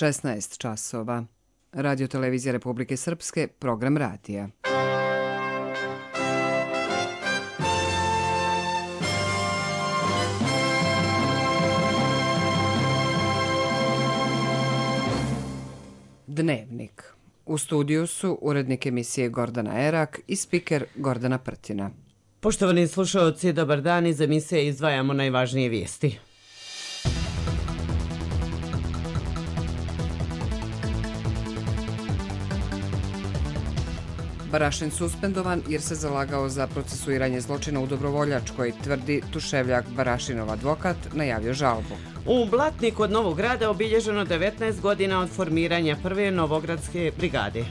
16 časova. Radio televizija Republike Srpske, program radija. Dnevnik. U studiju su urednik emisije Gordana Erak i spiker Gordana Prtina. Poštovani slušaoci, dobar dan. Iz emisije izdvajamo najvažnije vijesti. Barašin suspendovan jer se zalagao za procesuiranje zločina u Dobrovoljačkoj, tvrdi Tuševljak. Barašinov advokat najavio žalbu. U Blatniku kod Novog Grada obilježeno 19 godina od formiranja prve Novogradske brigade.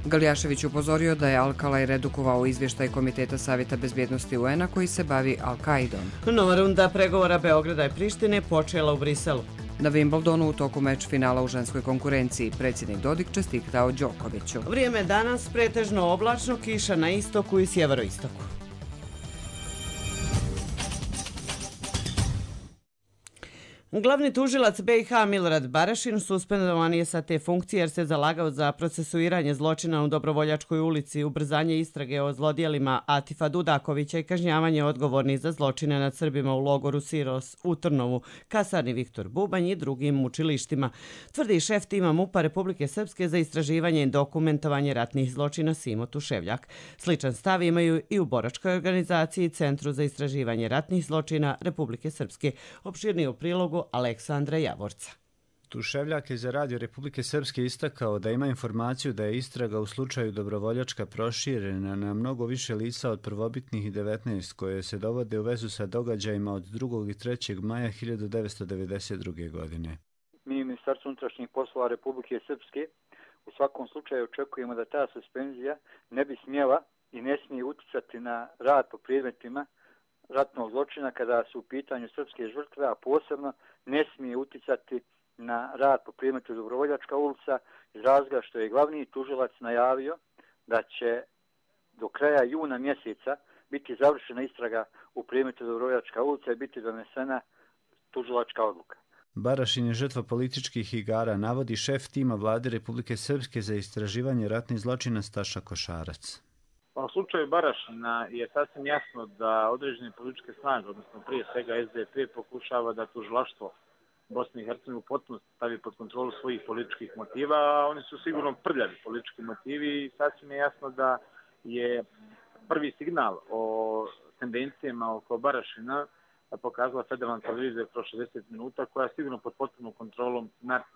Galjašević upozorio da je Alkalaj redukovao izvještaj Komiteta Savjeta bezbjednosti UN-a koji se bavi Al-Kaidom. Nova runda pregovora Beograda i Prištine počela u Briselu. Na Wimbledonu u toku meč finala u ženskoj konkurenciji predsjednik Dodik čestitao Đokoviću. Vrijeme danas pretežno oblačno, kiša na istoku i sjeveroistoku. Glavni tužilac BiH Milorad Barašin suspendovan je sa te funkcije jer se zalagao za procesuiranje zločina u Dobrovoljačkoj ulici, ubrzanje istrage o zlodjelima Atifa Dudakovića i kažnjavanje odgovornih za zločine nad Srbima u logoru Siros u Trnovu, kasarni Viktor Bubanj i drugim mučilištima, tvrdi šef tima MUP-a Republike Srpske za istraživanje i dokumentovanje ratnih zločina Simo Tuševljak. Sličan stav imaju i u boračkoj organizaciji Centru za istraživanje ratnih zločina Republike Srpske. Opširnije u prilogu Aleksandra Javorca. Tuševljak je za Radio Republike Srpske istakao da ima informaciju da je istraga u slučaju Dobrovoljačka proširena na mnogo više lica od prvobitnih 19 koje se dovode u vezu sa događajima od 2. i 3. maja 1992. godine. Mi, Ministarstvo unutrašnjih poslova Republike Srpske, u svakom slučaju očekujemo da ta suspenzija ne bi smjela i ne smije uticati na rad po predmetima ratnog zločina kada su u pitanju srpske žrtve, a posebno ne smije uticati na rad po predmetu Dobrovoljačka ulica iz razloga što je glavni tužilac najavio da će do kraja juna mjeseca biti završena istraga u predmetu Dobrovoljačka ulica i biti donesena tužilačka odluka. Barašin je žrtva političkih igara, navodi šef tima Vlade Republike Srpske za istraživanje ratnih zločina Staša Košarac. U slučaju Barašina je sasvim jasno da određene političke snage, odnosno prije svega SDP, pokušava da tužilaštvo Bosne i Hercegovine u potpunosti stavi pod kontrolu svojih političkih motiva, a oni su sigurno prljavi politički motivi i sasvim je jasno da je prvi signal o tendencijama oko Barašina pokazala federalna televizija kroz 60 minuta, koja je sigurno pod potpunom kontrolom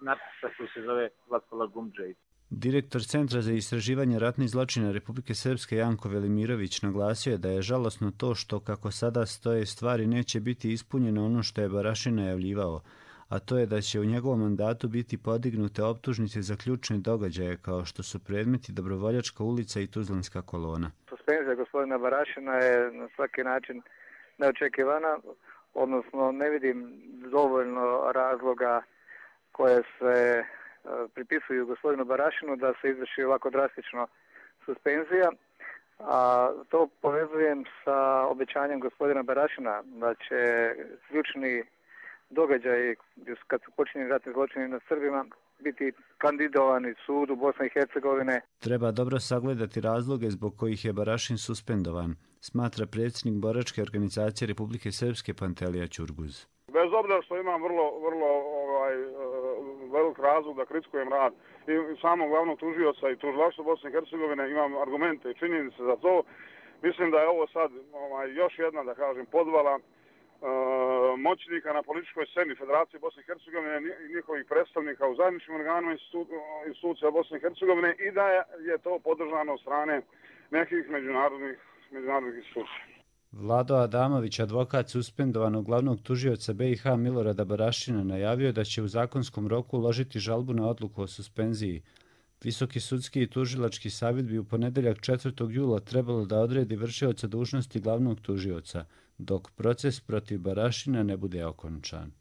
narcisa koji se zove Zlatko Lagumdžej. Direktor Centra za istraživanje ratnih zločina Republike Srpske Janko Velimirović naglasio je da je žalosno to što kako sada stoje stvari neće biti ispunjeno ono što je Barašin najavljivao, a to je da će u njegovom mandatu biti podignute optužnice za ključne događaje kao što su predmeti Dobrovoljačka ulica i Tuzlanska kolona. Suspenzija gospodina Barašina je na svaki način neočekivana, odnosno ne vidim dovoljno razloga koje se pripisuju gospodinu Barašinu da se izvrši ovako drastično suspenzija, a to povezujem sa obećanjem gospodina Barašina da će ključni događaji kad su počinjeni ratni zločini nad Srbima biti kandidovani sudu Bosne i Hercegovine. Treba dobro sagledati razloge zbog kojih je Barašin suspendovan, smatra predsjednik boračke organizacije Republike Srpske Pantelija Ćurguz. Bez obzira što imam vrlo velik razlog da kritikujem rad i samog glavnog tužioca i tužilaštva Bosne i Hercegovine, imam argumente i činjenice za to. Mislim da je ovo sad još jedna, da kažem, podvala moćnika na političkoj sceni Federacije Bosne i Hercegovine i njihovih predstavnika u zajedničkim organima institucija Bosne i Hercegovine i da je to podržano od strane nekih međunarodnih institucija. Vlado Adamović, advokat suspendovanog glavnog tužioca BiH Milorada Barašina, najavio da će u zakonskom roku uložiti žalbu na odluku o suspenziji. Visoki sudski i tužilački savjet bi u ponedeljak 4. jula trebalo da odredi vršioca dužnosti glavnog tužioca, dok proces protiv Barašina ne bude okončan.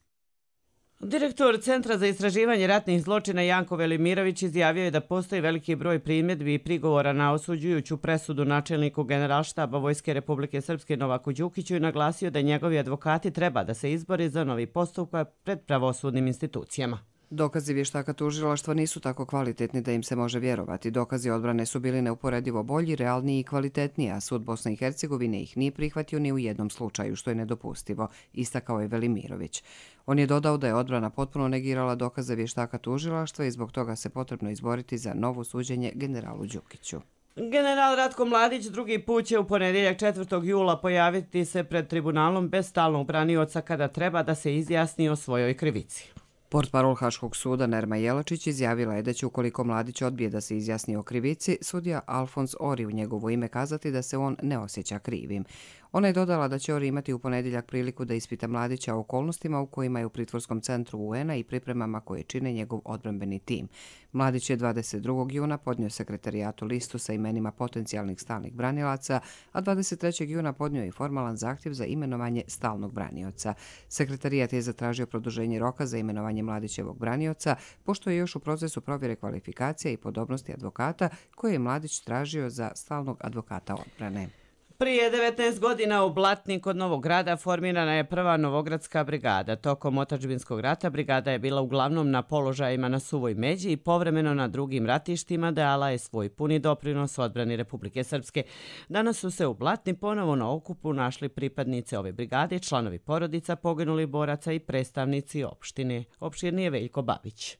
Direktor Centra za istraživanje ratnih zločina Janko Velimirović izjavio je da postoji veliki broj primjedbi i prigovora na osuđujuću presudu načelniku Generalštaba Vojske Republike Srpske Novaku Đukiću i naglasio da njegovi advokati treba da se izbore za novi postupak pred pravosudnim institucijama. Dokazi vještaka tužilaštva nisu tako kvalitetni da im se može vjerovati. Dokazi odbrane su bili neuporedivo bolji, realniji i kvalitetniji, a sud Bosne i Hercegovine ih nije prihvatio ni u jednom slučaju, što je nedopustivo, istakao je Velimirović. On je dodao da je odbrana potpuno negirala dokaze vještaka tužilaštva i zbog toga se potrebno izboriti za novo suđenje generalu Đukiću. General Ratko Mladić drugi put će u ponedjeljak 4. jula pojaviti se pred tribunalom bez stalnog branioca kada treba da se izjasni o svojoj krivici. Portparol Haškog suda Nerma Jelačić izjavila je da će, ukoliko Mladić odbije da se izjasni o krivici, sudija Alfons Ori u njegovo ime kazati da se on ne osjeća krivim. Ona je dodala da će Ori imati u ponedjeljak priliku da ispita Mladića o okolnostima u kojima je u pritvorskom centru UN-a i pripremama koje čine njegov odbrambeni tim. Mladić je 22. juna podnio sekretarijatu listu sa imenima potencijalnih stalnih branilaca, a 23. juna podnio i formalan zahtjev za imenovanje stalnog branioca. Sekretarijat je zatražio produženje roka za imenovanje Mladićevog branioca, pošto je još u procesu provjere kvalifikacija i podobnosti advokata koje je Mladić tražio za stalnog advokata odbrane. Prije 19 godina u Blatni kod Novog Grada formirana je prva Novogradska brigada. Tokom otadžbinskog rata brigada je bila uglavnom na položajima na Suvoj Međi i povremeno na drugim ratištima dala je svoj puni doprinos odbrani Republike Srpske. Danas su se u Blatni ponovo na okupu našli pripadnice ove brigade, članovi porodica poginulih boraca i predstavnici opštine. Opširni je Veljko Babić.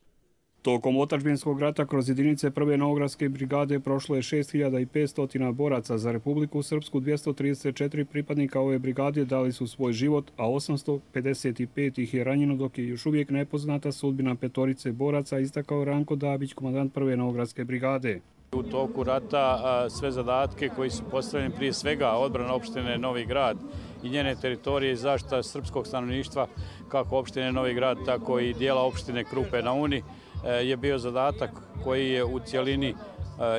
Tokom otadžbinskog rata kroz jedinice prve Novogradske brigade prošlo je 6500 boraca. Za Republiku Srpsku 234 pripadnika ove brigade dali su svoj život, a 855 ih je ranjeno, dok je još uvijek nepoznata sudbina petorice boraca, istakao Ranko Dabić, komandant prve Novogradske brigade. U toku rata sve zadatke koji su postavljeni, prije svega odbrana opštine Novi Grad i njene teritorije i zaštita srpskog stanovništva, kako opštine Novi Grad, tako i dijela opštine Krupe na Uni, je bio zadatak koji je u cjelini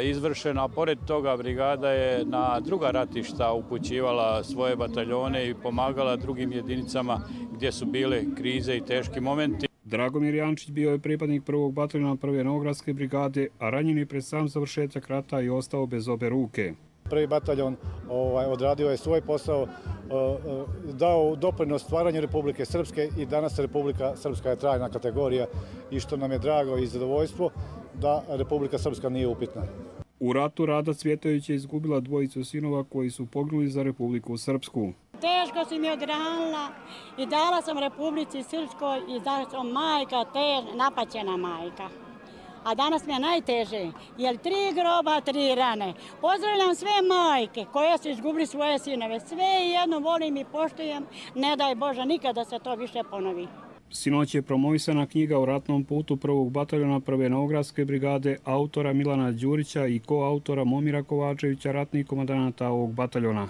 izvršen, a pored toga brigada je na druga ratišta upućivala svoje bataljone i pomagala drugim jedinicama gdje su bile krize i teški momenti. Dragomir Jančić bio je pripadnik prvog bataljona prve Novogradske brigade, a ranjen je pred sam završetak rata i ostao bez obe ruke. Prvi bataljon odradio je svoj posao, dao doprinos stvaranju Republike Srpske i danas Republika Srpska je trajna kategorija i što nam je drago i zadovoljstvo da Republika Srpska nije upitna. U ratu Rada Cvjetović je izgubila dvojicu sinova koji su poginuli za Republiku Srpsku. Teško si mi odranila i dala sam Republici Srpskoj i da sam majka, napaćena majka. A danas mi je najteže, jer 3 groba, 3 rane. Pozdravljam sve majke koje su izgubili svoje sinove. Sve jedno volim i poštujem, ne daj Bože nikada da se to više ponovi. Sinoć je promovisana knjiga o ratnom putu prvog bataljona prve Novogradske brigade autora Milana Đurića i koautora Momira Kovačevića, ratnih komandanata ovog bataljona.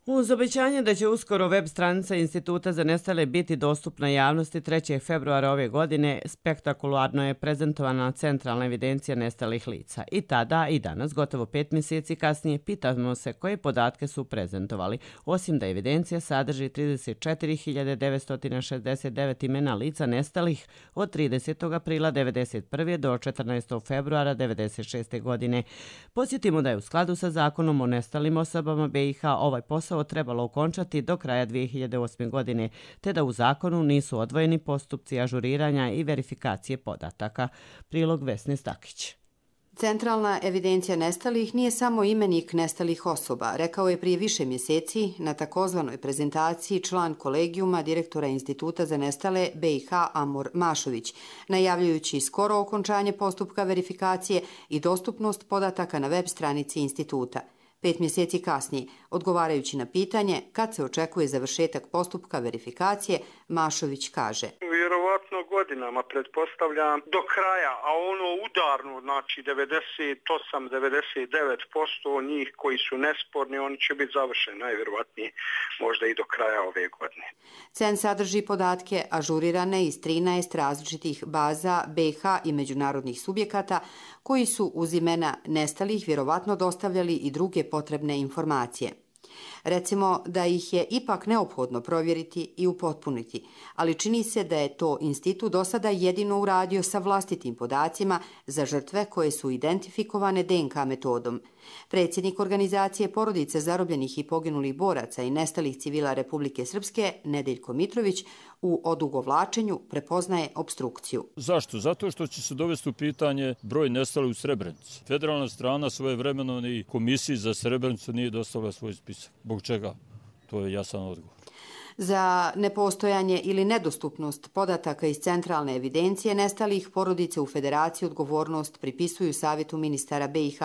Uz obećanje da će uskoro web stranica Instituta za nestale biti dostupna javnosti 3. februara ove godine, spektakularno je prezentovana centralna evidencija nestalih lica. I tada i danas, gotovo 5 mjeseci kasnije, pitamo se koje podatke su prezentovali. Osim da evidencija sadrži 34.969 imena lica nestalih od 30. aprila 1991. do 14. februara 1996. godine. Podsjetimo da je u skladu sa zakonom o nestalim osobama BiH ovaj posao trebalo okončati do kraja 2008. godine, te da u zakonu nisu odvojeni postupci ažuriranja i verifikacije podataka. Prilog Vesne Stakić. Centralna evidencija nestalih nije samo imenik nestalih osoba, rekao je prije više mjeseci na takozvanoj prezentaciji član kolegijuma direktora Instituta za nestale BiH Amor Mašović, najavljujući skoro okončanje postupka verifikacije i dostupnost podataka na web stranici instituta. 5 mjeseci kasnije, odgovarajući na pitanje kad se očekuje završetak postupka verifikacije, Mašović kaže: Vjerovatno godinama, pretpostavljam, do kraja, a ono udarno, znači 98-99% njih koji su nesporni, oni će biti završeni najvjerovatnije možda i do kraja ove godine. CEN sadrži podatke ažurirane iz 13 različitih baza BiH i međunarodnih subjekata koji su uz imena nestalih vjerovatno dostavljali i druge potrebne informacije. Recimo da ih je ipak neophodno provjeriti i upotpuniti, ali čini se da je to institut do sada jedino uradio sa vlastitim podacima za žrtve koje su identifikovane DNK metodom. Predsjednik organizacije Porodice zarobljenih i poginulih boraca i nestalih civila Republike Srpske, Nedeljko Mitrović, u odugovlačenju prepoznaje obstrukciju. Zašto? Zato što će se dovesti u pitanje broj nestalih u Srebrenici. Federalna strana svojevremeno i komisiji za Srebrenicu nije dostavila svoj spisak. Zbog čega? To je jasan odgovor. Za nepostojanje ili nedostupnost podataka iz centralne evidencije nestalih porodice u Federaciji odgovornost pripisuju Savjetu ministara BiH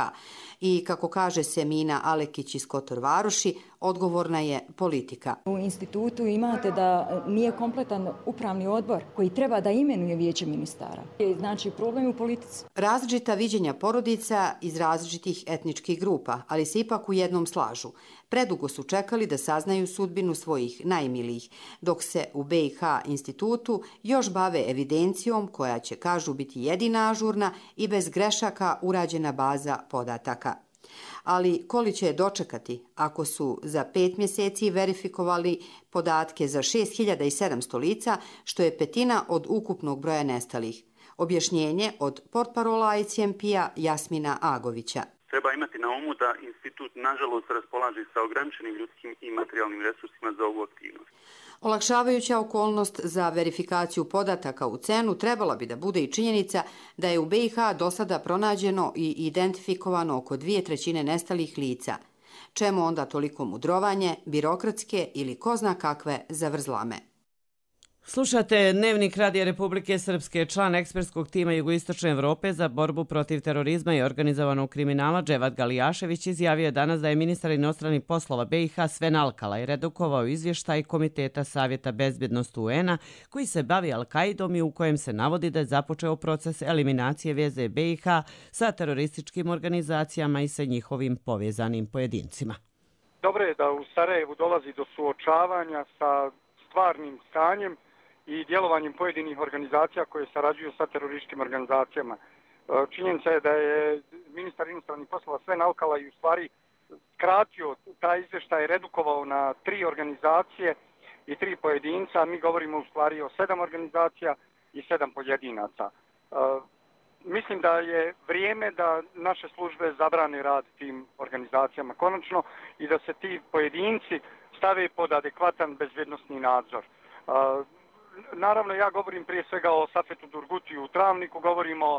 i, kako kaže Semina Alekić iz Kotor Varoši, odgovorna je politika. U institutu imate da nije kompletan upravni odbor koji treba da imenuje vijeće ministara. Znači, problem u politici. Različita viđenja porodica iz različitih etničkih grupa, ali se ipak u jednom slažu. Predugo su čekali da saznaju sudbinu svojih najmilijih, dok se u BiH institutu još bave evidencijom koja će, kažu, biti jedina ažurna i bez grešaka urađena baza podataka. Ali koli će je dočekati ako su za 5 mjeseci verifikovali podatke za 6700 lica, što je petina od ukupnog broja nestalih. Objašnjenje od portparola ICMP-a Jasmina Agovića. Treba imati na umu da institut nažalost raspolaže sa ograničenim ljudskim i materijalnim resursima za ovu aktivnost. Olakšavajuća okolnost za verifikaciju podataka u CEN-u trebala bi da bude i činjenica da je u BiH do sada pronađeno i identifikovano oko 2/3 nestalih lica. Čemu onda toliko mudrovanje, birokratske ili ko zna kakve zavrzlame? Slušate Dnevnik Radija Republike Srpske. Član ekspertskog tima Jugoistočne Evrope za borbu protiv terorizma i organizovanog kriminala Dževad Galijašević izjavio je danas da je ministar inostranih poslova BiH Sven Alkala i redukovao izvještaj Komiteta Savjeta bezbjednosti UN-a koji se bavi Al-Kaidom i u kojem se navodi da je započeo proces eliminacije veze BiH sa terorističkim organizacijama i sa njihovim povezanim pojedincima. Dobro je da u Sarajevu dolazi do suočavanja sa stvarnim stanjem i djelovanjem pojedinih organizacija koje sarađuju sa terorističkim organizacijama. Činjenica je da je ministar inostranih poslova Sven Alkala i u stvari skratio taj izvještaj, redukovao na 3 organizacije i 3 pojedinca. Mi govorimo u stvari o 7 organizacija i 7 pojedinaca. Mislim da je vrijeme da naše službe zabrane rad tim organizacijama konačno i da se ti pojedinci stave pod adekvatan bezbjednosni nadzor. Naravno, ja govorim prije svega o Safetu Durgutiju u Travniku, govorim o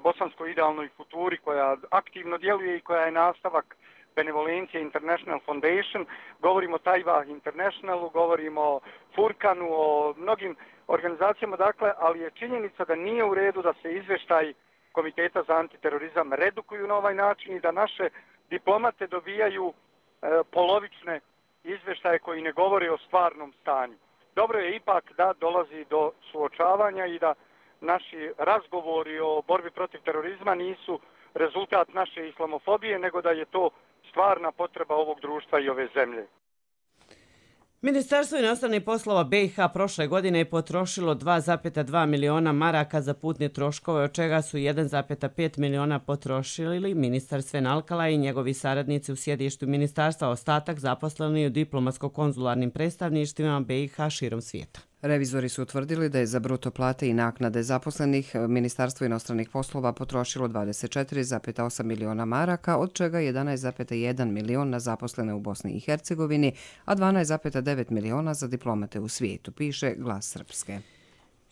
Bosanskoj idealnoj futuri koja aktivno djeluje i koja je nastavak Benevolencije International Foundation, govorim o Tajva Internationalu, govorim o Furkanu, o mnogim organizacijama, dakle, ali je činjenica da nije u redu da se izvještaj Komiteta za antiterorizam redukuju na ovaj način i da naše diplomate dobijaju polovične izvještaje koji ne govore o stvarnom stanju. Dobro je ipak da dolazi do suočavanja i da naši razgovori o borbi protiv terorizma nisu rezultat naše islamofobije, nego da je to stvarna potreba ovog društva i ove zemlje. Ministarstvo inostranih poslova BiH prošle godine je potrošilo 2,2 miliona maraka za putne troškove, od čega su 1,5 miliona potrošili ministar Sven Alkala i njegovi saradnici u sjedištu ministarstva, ostatak zaposleni u diplomatsko-konzularnim predstavništvima BiH širom svijeta. Revizori su utvrdili da je za bruto plate i naknade zaposlenih Ministarstvo inostranih poslova potrošilo 24,8 miliona maraka, od čega 11,1 milion na zaposlene u Bosni i Hercegovini, a 12,9 miliona za diplomate u svijetu, piše Glas Srpske.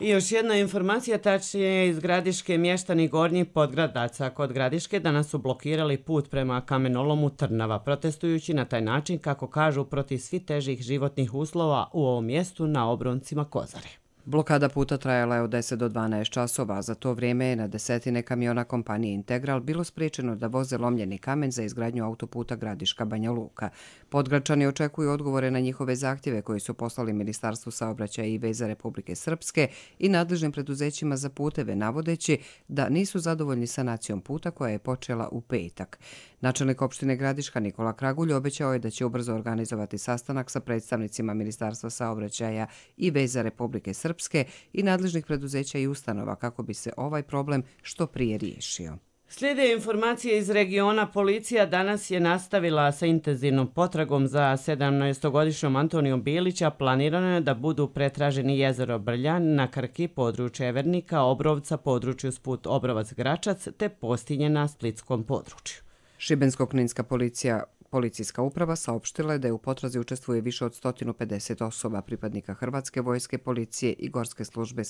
I još jedna informacija, tačnije iz Gradiške mještani Gornjih Podgradaca kod Gradiške danas su blokirali put prema kamenolomu Trnava, protestujući na taj način, kako kažu, protiv svi težih životnih uslova u ovom mjestu na obroncima Kozare. Blokada puta trajala je od 10 do 12 časova, a za to vrijeme je na desetine kamiona kompanije Integral bilo spriječeno da voze lomljeni kamen za izgradnju autoputa Gradiška-Banja Luka. Podgračani očekuju odgovore na njihove zahtjeve koji su poslali Ministarstvu saobraćaja i veza Republike Srpske i nadležnim preduzećima za puteve, navodeći da nisu zadovoljni sanacijom puta koja je počela u petak. Načelnik opštine Gradiška Nikola Kragulj obećao je da će ubrzo organizovati sastanak sa predstavnicima Ministarstva saobraćaja i veza Republike Srpske i nadležnih preduzeća i ustanova kako bi se ovaj problem što prije riješio. Slijede informacije iz regiona. Policija danas je nastavila sa intenzivnom potragom za 17-godišnjom Antonijom Bilića. Planirano je da budu pretraženi jezero Brljan na Krki, područje Evernika, Obrovca, području Sput Obrovac Gračac te Postinje na Splitskom području. Šibensko-kninska policijska uprava saopštila je da je u potrazi učestvuje više od 150 osoba, pripadnika Hrvatske vojske, policije i Gorske službe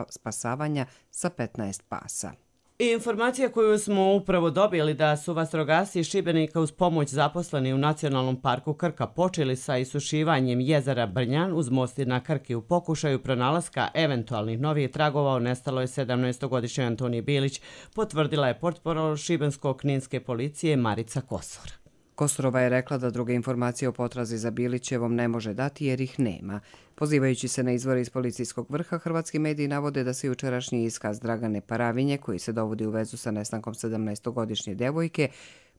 spasavanja sa 15 pasa. Informacija koju smo upravo dobili da su vatrogasci iz Šibenika uz pomoć zaposleni u Nacionalnom parku Krka počeli sa isušivanjem jezera Brnjan uz mosti na Krki u pokušaju pronalaska eventualnih novih tragova o nestaloj 17-godišnjoj Antoniji Bilić, potvrdila je portparol Šibensko-kninske policije Marica Kosor. Kosorova je rekla da druge informacije o potrazi za Bilićevom ne može dati jer ih nema. Pozivajući se na izvore iz policijskog vrha, hrvatski mediji navode da se jučerašnji iskaz Dragane Paravinje, koji se dovodi u vezu sa nestankom 17-godišnje devojke,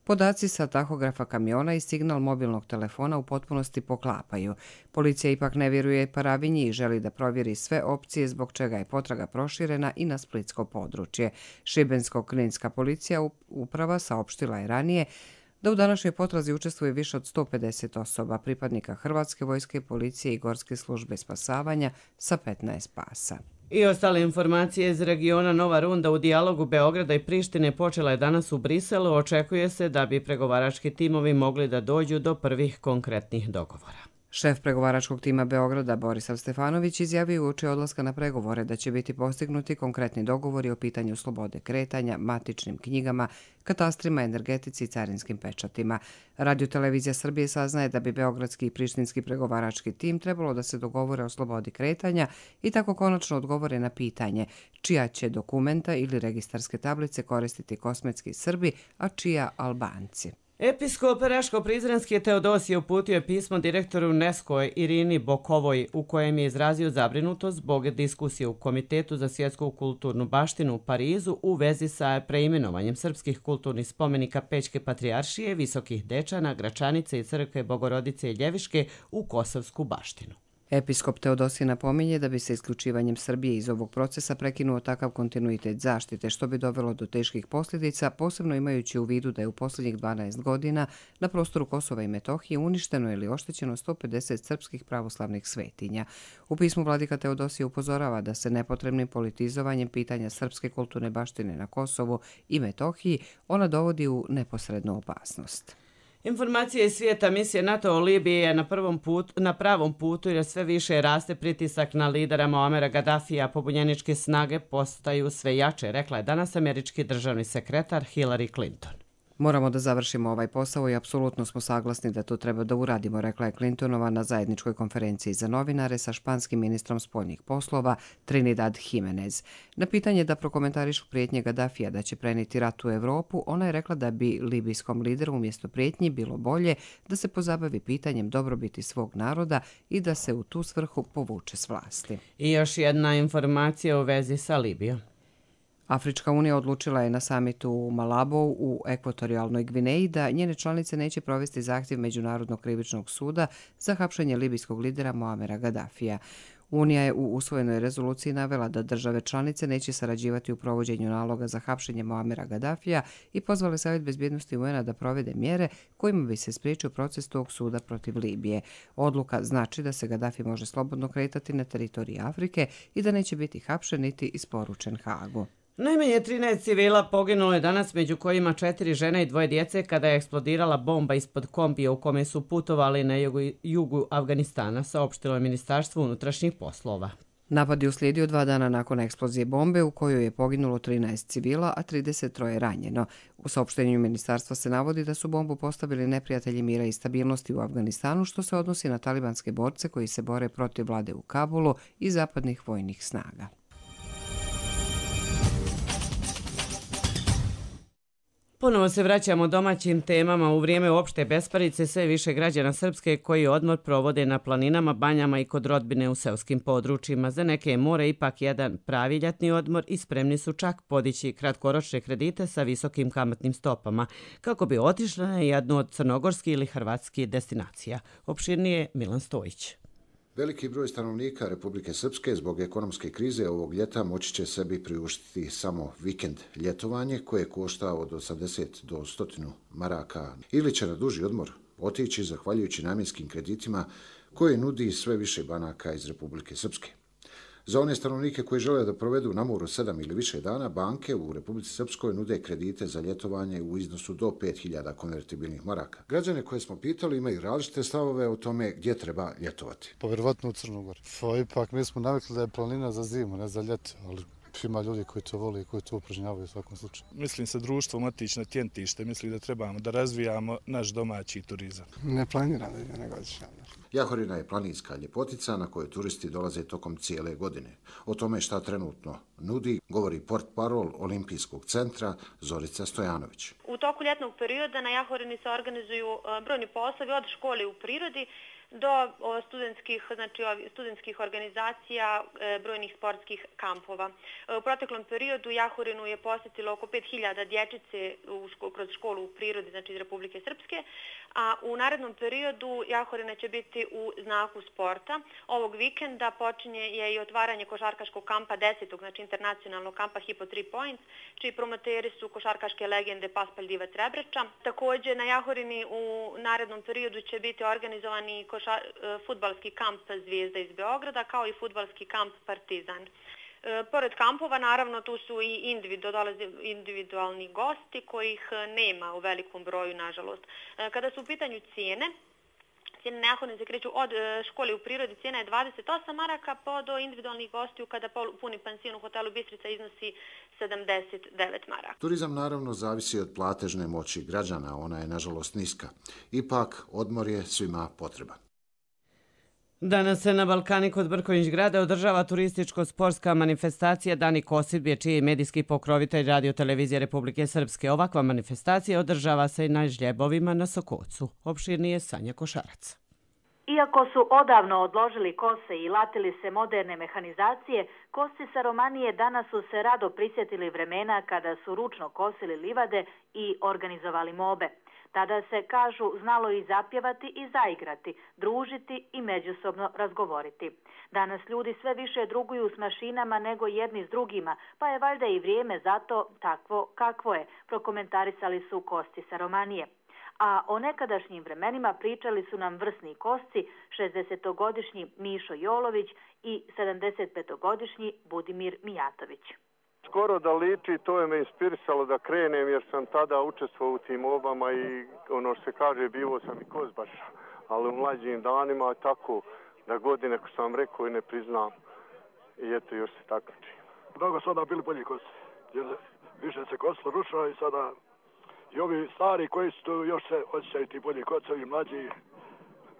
podaci sa tahografa kamiona i signal mobilnog telefona u potpunosti poklapaju. Policija ipak ne vjeruje Paravinji i želi da provjeri sve opcije, zbog čega je potraga proširena i na splitsko područje. Šibensko-kninska policija uprava saopštila je ranije da u današnjoj potrazi učestvuje više od 150 osoba, pripadnika Hrvatske vojske, policije i Gorske službe spasavanja sa 15 pasa. I ostale informacije iz regiona. Nova runda u dijalogu Beograda i Prištine počela je danas u Briselu. Očekuje se da bi pregovarački timovi mogli da dođu do prvih konkretnih dogovora. Šef pregovaračkog tima Beograda Borisav Stefanović izjavio uoči odlaska na pregovore da će biti postignuti konkretni dogovori o pitanju slobode kretanja, matičnim knjigama, katastrima, energetici i carinskim pečatima. Radio-televizija Srbije saznaje da bi beogradski i prištinski pregovarački tim trebalo da se dogovore o slobodi kretanja i tako konačno odgovore na pitanje čija će dokumenta ili registarske tablice koristiti kosmetski Srbi, a čija Albanci. Episkop Raško-Prizrenski Teodosije uputio je pismo direktoru UNESCO Irini Bokovoj u kojem je izrazio zabrinutost zbog diskusije u Komitetu za svjetsku kulturnu baštinu u Parizu u vezi sa preimenovanjem srpskih kulturnih spomenika Pećke patrijaršije, Visokih Dečana, Gračanice i Crkve Bogorodice i Ljeviške u kosovsku baštinu. Episkop Teodosije napominje da bi se isključivanjem Srbije iz ovog procesa prekinuo takav kontinuitet zaštite, što bi dovelo do teških posljedica, posebno imajući u vidu da je u posljednjih 12 godina na prostoru Kosova i Metohije uništeno ili oštećeno 150 srpskih pravoslavnih svetinja. U pismu vladika Teodosije upozorava da se nepotrebnim politizovanjem pitanja srpske kulturne baštine na Kosovu i Metohiji ona dovodi u neposrednu opasnost. Informacije iz svijeta. Misija NATO u Libiji je na pravom putu jer sve više raste pritisak na lidera Muamera Gaddafija. Pobunjeničke snage postaju sve jače, rekla je danas američki državni sekretar Hillary Clinton. Moramo da završimo ovaj posao i apsolutno smo saglasni da to treba da uradimo, rekla je Clintonova na zajedničkoj konferenciji za novinare sa španskim ministrom spoljnih poslova Trinidad Jimenez. Na pitanje da prokomentarišu prijetnje Gaddafija da će prenijeti rat u Evropu, ona je rekla da bi libijskom lideru umjesto prijetnji bilo bolje da se pozabavi pitanjem dobrobiti svog naroda i da se u tu svrhu povuče s vlasti. I još jedna informacija u vezi sa Libijom. Afrička unija odlučila je na samitu u Malabou u ekvatorijalnoj Gvineji da njene članice neće provesti zahtjev Međunarodnog krivičnog suda za hapšenje libijskog lidera Muamera Gaddafija. Unija je u usvojenoj rezoluciji navela da države članice neće sarađivati u provođenju naloga za hapšenje Muamera Gaddafija i pozvale Savjet bezbjednosti UN-a da provede mjere kojima bi se spriječio proces tog suda protiv Libije. Odluka znači da se Gaddafi može slobodno kretati na teritoriji Afrike i da neće biti hapšen niti isporučen Hagu. Najmanje 13 civila poginulo je danas, među kojima 4 žene i 2 djece kada je eksplodirala bomba ispod kombija u kome su putovali na jugu Afganistana, saopštilo je Ministarstvo unutrašnjih poslova. Napad je uslijedio 2 dana nakon eksplozije bombe u kojoj je poginulo 13 civila, a 33 je ranjeno. U saopštenju ministarstva se navodi da su bombu postavili neprijatelji mira i stabilnosti u Afganistanu, što se odnosi na talibanske borce koji se bore protiv vlade u Kabulu i zapadnih vojnih snaga. Ponovo se vraćamo domaćim temama. U vrijeme opšte besparice sve više građana Srpske koji odmor provode na planinama, banjama i kod rodbine u seoskim područjima. Za neke je more ipak jedan pravi ljetni odmor i spremni su čak podići kratkoročne kredite sa visokim kamatnim stopama kako bi otišli na jednu od crnogorskih ili hrvatskih destinacija. Opširnije Milan Stojić. Veliki broj stanovnika Republike Srpske zbog ekonomske krize ovog ljeta moći će sebi priuštiti samo vikend ljetovanje koje košta od 80 do 100 maraka ili će na duži odmor otići zahvaljujući namjenskim kreditima koje nudi sve više banaka iz Republike Srpske. Za one stanovnike koji žele da provedu na moru 7 ili više dana, banke u Republici Srpskoj nude kredite za ljetovanje u iznosu do 5.000 konvertibilnih maraka. Građane koje smo pitali imaju različite stavove o tome gdje treba ljetovati. Pa vjerovatno u Crnu Goru. Ipak mi smo navikli da je planina za zimu, ne za ljeto, ali ima ljudi koji to vole i koji to upražnjavaju u svakom slučaju. Mislim se društvo matično tjentište, mislim da trebamo da razvijamo naš domaći turizam. Ne planiram da ide nego godišnja. Jahorina je planinska ljepotica na kojoj turisti dolaze tokom cijele godine. O tome šta trenutno nudi govori portparol Olimpijskog centra Zorica Stojanović. U toku ljetnog perioda na Jahorini se organizuju brojni poslovi od škole u prirodi do studentskih organizacija, brojnih sportskih kampova. U proteklom periodu Jahorinu je posjetilo oko 5.000 dječice kroz školu u prirodi, znači iz Republike Srpske, a u narednom periodu Jahorina će biti u znaku sporta. Ovog vikenda počinje je i otvaranje košarkaškog kampa 10. znači internacionalnog kampa Hypo 3 Points, čiji promoteri su košarkaške legende Paspalj Divac Rebreča. Također na Jahorini u narednom periodu će biti organizovani fudbalski kamp Zvijezda iz Beograda, kao i fudbalski kamp Partizan. Pored kampova, naravno, tu su i individualni gosti kojih nema u velikom broju, nažalost. Kada su u pitanju cijene na Jahorini se kreću od škole u prirodi, cijena je 28 maraka, pa do individualnih gostiju kada puni pansion u hotelu Bistrica iznosi 79 maraka. Turizam naravno zavisi od platežne moći građana, ona je nažalost niska. Ipak, odmor je svima potreban. Danas se na Balkani kod Brković grada održava turističko-sportska manifestacija Dani Kosidbje, čiji je medijski pokrovitelj Radio-televizije Republike Srpske. Ovakva manifestacija održava se i na žljebovima na Sokocu. Opširnije Sanja Košarac. Iako su odavno odložili kose i latili se moderne mehanizacije, kosci sa Romanije danas su se rado prisjetili vremena kada su ručno kosili livade i organizovali mobe. Tada se, kažu, znalo i zapjevati i zaigrati, družiti i međusobno razgovoriti. Danas ljudi sve više druguju s mašinama nego jedni s drugima, pa je valjda i vrijeme zato takvo kakvo je, prokomentarisali su Kosci sa Romanije. A o nekadašnjim vremenima pričali su nam vrsni Kosci, 60-godišnji Mišo Jolović i 75-godišnji Budimir Mijatović. Skoro da liči, to je me inspirisalo da krenem jer sam tada učestvovao u tim obama i ono što se kaže bivo sam i kozbaš, ali u mlađim danima tako da godine ko sam rekao i ne priznam i eto još se takmičim. Mnogo su onda bili bolji kosti jer više se kosilo ručno i sada i ovi stari koji su tu još se osjećaju ti bolji kocovi, mlađi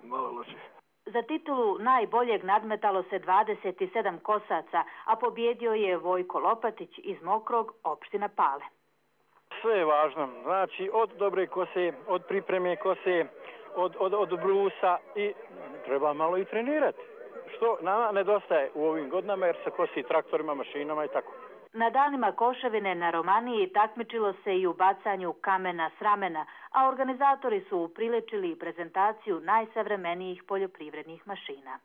malo loši. Za titulu najboljeg nadmetalo se 27 kosaca, a pobjedio je Vojko Lopatić iz Mokrog, opština Pale. Sve je važno, znači od dobre kose, od pripreme kose, od brusa i treba malo i trenirati. Što nama nedostaje u ovim godinama jer se kosi traktorima, mašinama i tako. Na danima Koševine na Romaniji takmičilo se i u bacanju kamena s ramena, a organizatori su upriličili prezentaciju najsavremenijih poljoprivrednih mašina.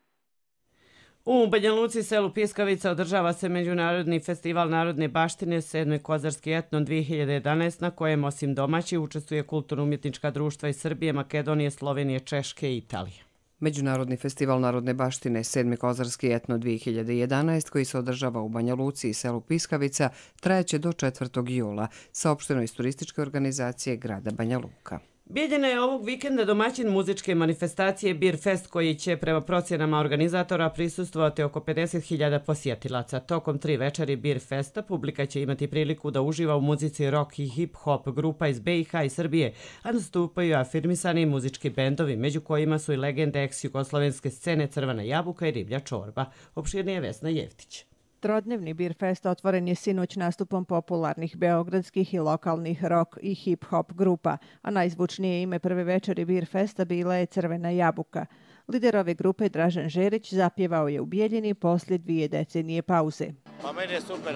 U Banja Luci, selu Piskavica, održava se Međunarodni festival narodne baštine 7. Kozarski etno 2011, na kojem osim domaći učestvuje kulturno-umjetnička društva iz Srbije, Makedonije, Slovenije, Češke i Italije. Međunarodni festival narodne baštine 7. Kozarski etno 2011, koji se održava u Banja Luci i selu Piskavica, trajaće do 4. jula, saopšteno iz turističke organizacije grada Banja Luka. Bijeljina je ovog vikenda domaćin muzičke manifestacije Beer Fest, koji će prema procjenama organizatora prisustvovati oko 50.000 posjetilaca. Tokom 3 večeri Beer Festa publika će imati priliku da uživa u muzici rock i hip-hop grupa iz BiH i Srbije, a nastupaju afirmisani muzički bendovi, među kojima su i legende ex-jugoslovenske scene Crvena jabuka i Riblja čorba. Opširnije Vesna Jevtić. Trodnevni Beer Fest otvoren je sinoć nastupom popularnih beogradskih i lokalnih rock i hip-hop grupa, a najzvučnije ime prve večeri Beer Festa bila je Crvena jabuka. Lider ove grupe Dražen Žerić zapjevao je u Bijeljini poslije 2 decenije pauze. Pa meni je super,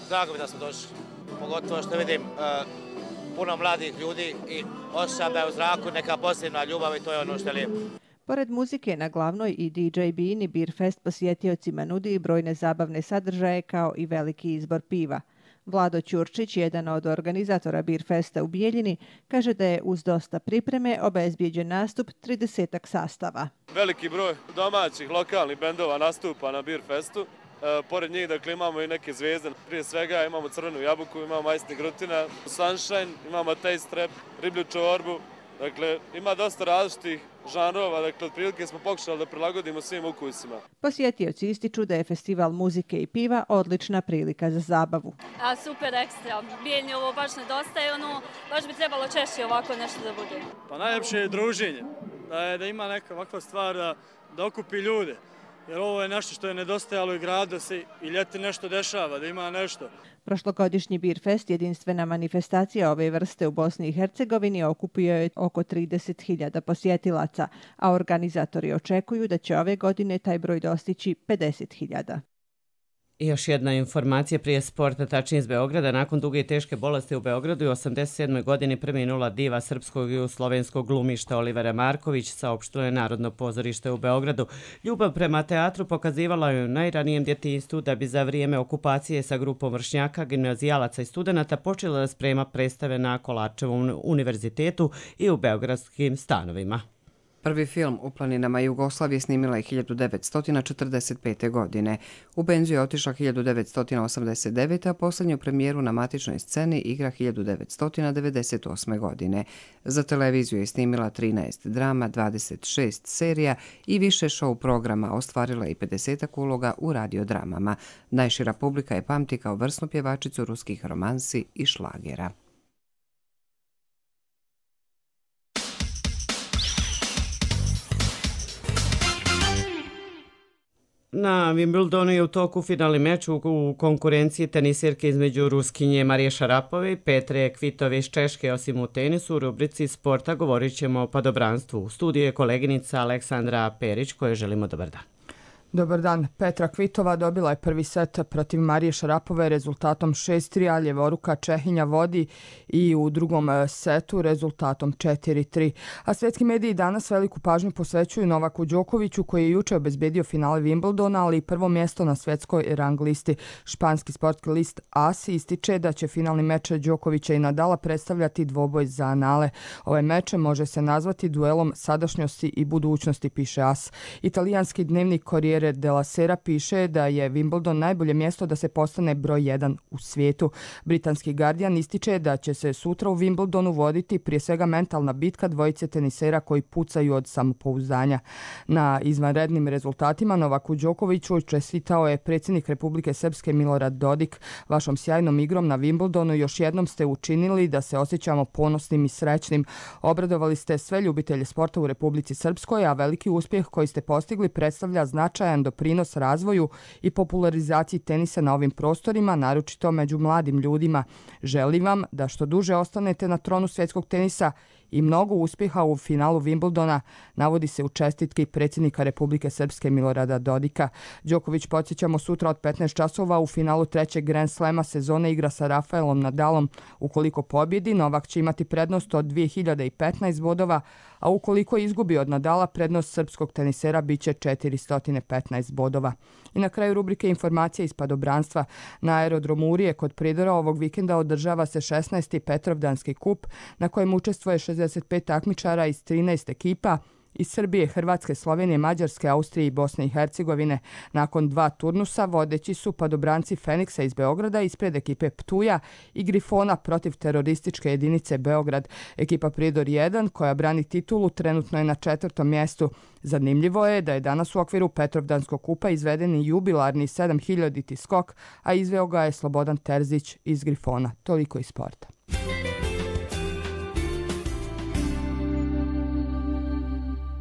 drago mi da smo došli, pogotovo što vidim puno mladih ljudi i osjećam da je u zraku neka posebna ljubav i to je ono što je lijepo. Pored muzike na glavnoj i DJ bini, Beer Fest posjetiocima nudi i brojne zabavne sadržaje kao i veliki izbor piva. Vlado Ćurčić, jedan od organizatora Beer Festa u Bijeljini, kaže da je uz dosta pripreme obezbijeđen nastup 30 sastava. Veliki broj domaćih lokalnih bendova nastupa na Beer Festu. Pored njih, dakle, imamo i neke zvezde. Prije svega imamo crvenu jabuku, imamo majsni grutina, sunshine, imamo taste trap, riblju čorbu. Dakle, ima dosta različitih žanrova, dakle, otprilike smo pokušali da prilagodimo svim ukusima. Posjetioci ističu da je festival muzike i piva odlična prilika za zabavu. Super, ekstra. Bijeljni ovo baš nedostaje, baš bi trebalo češće ovako nešto da bude. Pa najljepše je druženje, da ima neka ovakva stvar da okupi ljude. Jer ovo je nešto što je nedostajalo i grad da se i ljeti nešto dešava, da ima nešto. Prošlogodišnji Beer Fest, jedinstvena manifestacija ove vrste u Bosni i Hercegovini, okupio je oko 30.000 posjetilaca, a organizatori očekuju da će ove godine taj broj dostići 50.000. I još jedna informacija prije sporta, tačnije iz Beograda. Nakon duge i teške bolesti u Beogradu i 87. godini preminula diva srpskog i slovenskog glumišta Olivera Marković, saopštilo je Narodno pozorište u Beogradu. Ljubav prema teatru pokazivala je u najranijem djetinjstvu, da bi za vrijeme okupacije sa grupom vršnjaka, gimnazijalaca i studenata počela da sprema predstave na Kolarčevom univerzitetu i u beogradskim stanovima. Prvi film u planinama Jugoslavije snimila je 1945. godine. U penziju je otišla 1989. a posljednju premijeru na matičnoj sceni igra 1998. godine. Za televiziju je snimila 13 drama, 26 serija i više show programa, ostvarila i 50 uloga u radiodramama. Najšira publika je pamti kao vrsnu pjevačicu ruskih romansi i šlagera. Na Wimbledonu je u toku finalni meč u konkurenciji tenisirke između Ruskinje Marije Šarapove i Petre Kvitove iz Češke. Osim u tenisu, u rubrici sporta govorit ćemo o padobranstvu. U studiju je koleginica Aleksandra Perić, kojoj želimo dobar dan. Dobar dan. Petra Kvitova dobila je prvi set protiv Marije Šarapove rezultatom 6-3, a ljevoruka Čehinja vodi i u drugom setu rezultatom 4-3. A svjetski mediji danas veliku pažnju posvećuju Novaku Đokoviću, koji je juče obezbedio finale Wimbledona, ali i prvo mjesto na svjetskoj rang listi. Španski sportski list AS ističe da će finalni meč Đokovića i Nadala predstavljati dvoboj za anale. Ovaj meč može se nazvati duelom sadašnjosti i budućnosti, piše AS. Italijanski dnevnik Corriere della Sera piše da je Wimbledon najbolje mjesto da se postane broj 1 u svijetu. Britanski Guardian ističe da će se sutra u Wimbledonu voditi prije svega mentalna bitka dvojice tenisera koji pucaju od samopouzdanja. Na izvanrednim rezultatima Novaku Đokoviću čestitao je predsjednik Republike Srpske Milorad Dodik. Vašom sjajnom igrom na Wimbledonu još jednom ste učinili da se osjećamo ponosnim i srećnim. Obradovali ste sve ljubitelje sporta u Republici Srpskoj, a veliki uspjeh koji ste postigli predstavlja značajan doprinos razvoju i popularizaciji tenisa na ovim prostorima, naročito među mladim ljudima. Želim vam da što duže ostanete na tronu svjetskog tenisa i mnogo uspjeha u finalu Wimbledona, navodi se u čestitki predsjednika Republike Srpske Milorada Dodika. Đoković, podsjećamo, sutra od 15 časova u finalu trećeg Grand Slema sezone igra sa Rafaelom Nadalom. Ukoliko pobjedi, Novak će imati prednost od 2015 bodova, a ukoliko izgubi od Nadala, prednost srpskog tenisera biće 415 bodova. I na kraju rubrike informacije iz padobranstva. Na aerodromu Urije kod Pridora ovog vikenda održava se 16. Petrovdanski kup na kojem učestvuje 65 takmičara iz 13 ekipa iz Srbije, Hrvatske, Slovenije, Mađarske, Austrije i Bosne i Hercegovine. Nakon 2 turnusa vodeći su padobranci Feniksa iz Beograda ispred ekipe Ptuja i Grifona protiv terorističke jedinice Beograd. Ekipa Pridor 1, koja brani titulu, trenutno je na 4. mjestu. Zanimljivo je da je danas u okviru Petrovdanskog kupa izveden i jubilarni 7000 skok, a izveo ga je Slobodan Terzić iz Grifona. Toliko iz sporta.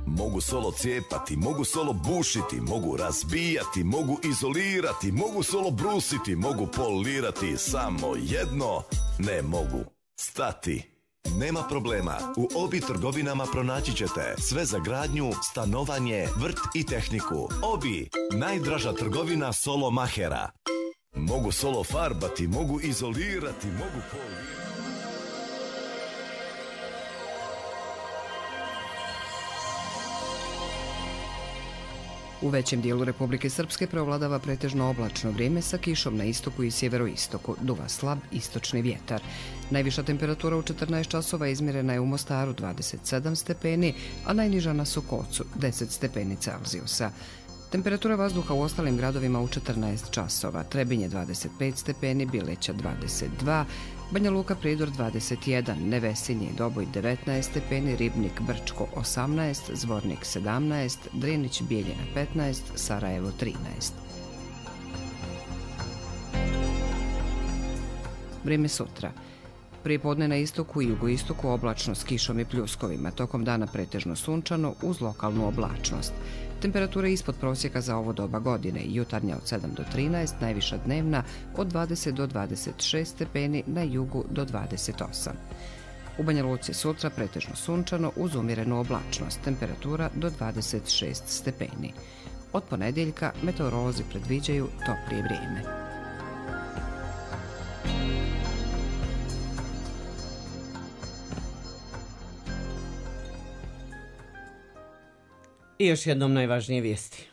Mogu solo cijepati, mogu solo bušiti, mogu razbijati, mogu izolirati, mogu solo brusiti, mogu polirati, samo jedno ne mogu stati. Nema problema, u Obi trgovinama pronaći ćete sve za gradnju, stanovanje, vrt i tehniku. Obi, najdraža trgovina solo mahera. Mogu solo farbati, mogu izolirati, mogu polirati. U većem dijelu Republike Srpske preovladava pretežno oblačno vrijeme sa kišom na istoku i sjeveroistoku. Duva slab istočni vjetar. Najviša temperatura u 14 časova izmjerena je u Mostaru 27 stepeni, a najniža na Sokocu 10 stepeni Celzijusa. Temperatura vazduha u ostalim gradovima u 14 časova. Trebinje 25 stepeni, Bileća 22, Banja Luka Prijedor 21, Nevesinje i Doboj 19 stepeni, Ribnik Brčko 18, Zvornik 17, Drinić Bijeljina 15, Sarajevo 13. Vrijeme sutra. Prije podne na istoku i jugoistoku oblačno s kišom i pljuskovima, tokom dana pretežno sunčano uz lokalnu oblačnost. Temperatura ispod prosjeka za ovo doba godine, jutarnja od 7 do 13, najviša dnevna od 20 do 26 stepeni, na jugu do 28. U Banja Luci sutra pretežno sunčano uz umjerenu oblačnost, temperatura do 26 stepeni. Od ponedjeljka meteorolozi predviđaju toplije vrijeme. I još jednom najvažnije vijesti.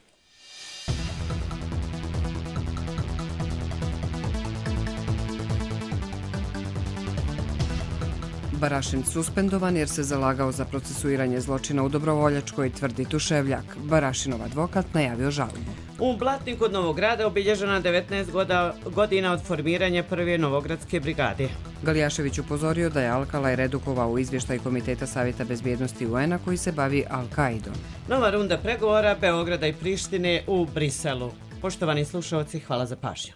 Barašin suspendovan jer se zalagao za procesuiranje zločina u Dobrovoljačkoj, tvrdi Tuševljak. Barašinov advokat najavio žalbu. U Blatniku kod Novog Grada obilježena 19 godina od formiranja prve Novogradske brigade. Galijašević upozorio da je Alkalaj redukovao u izvještaj Komiteta Savjeta bezbjednosti UN-a koji se bavi Al-Kaidom. Nova runda pregovora Beograda i Prištine u Briselu. Poštovani slušalci, hvala za pažnju.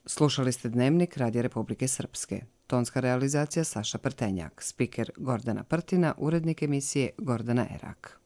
Slušali ste Dnevnik Radija Republike Srpske. Tonska realizacija Saša Prtenjak, spiker Gordana Prtina, urednik emisije Gordana Erak.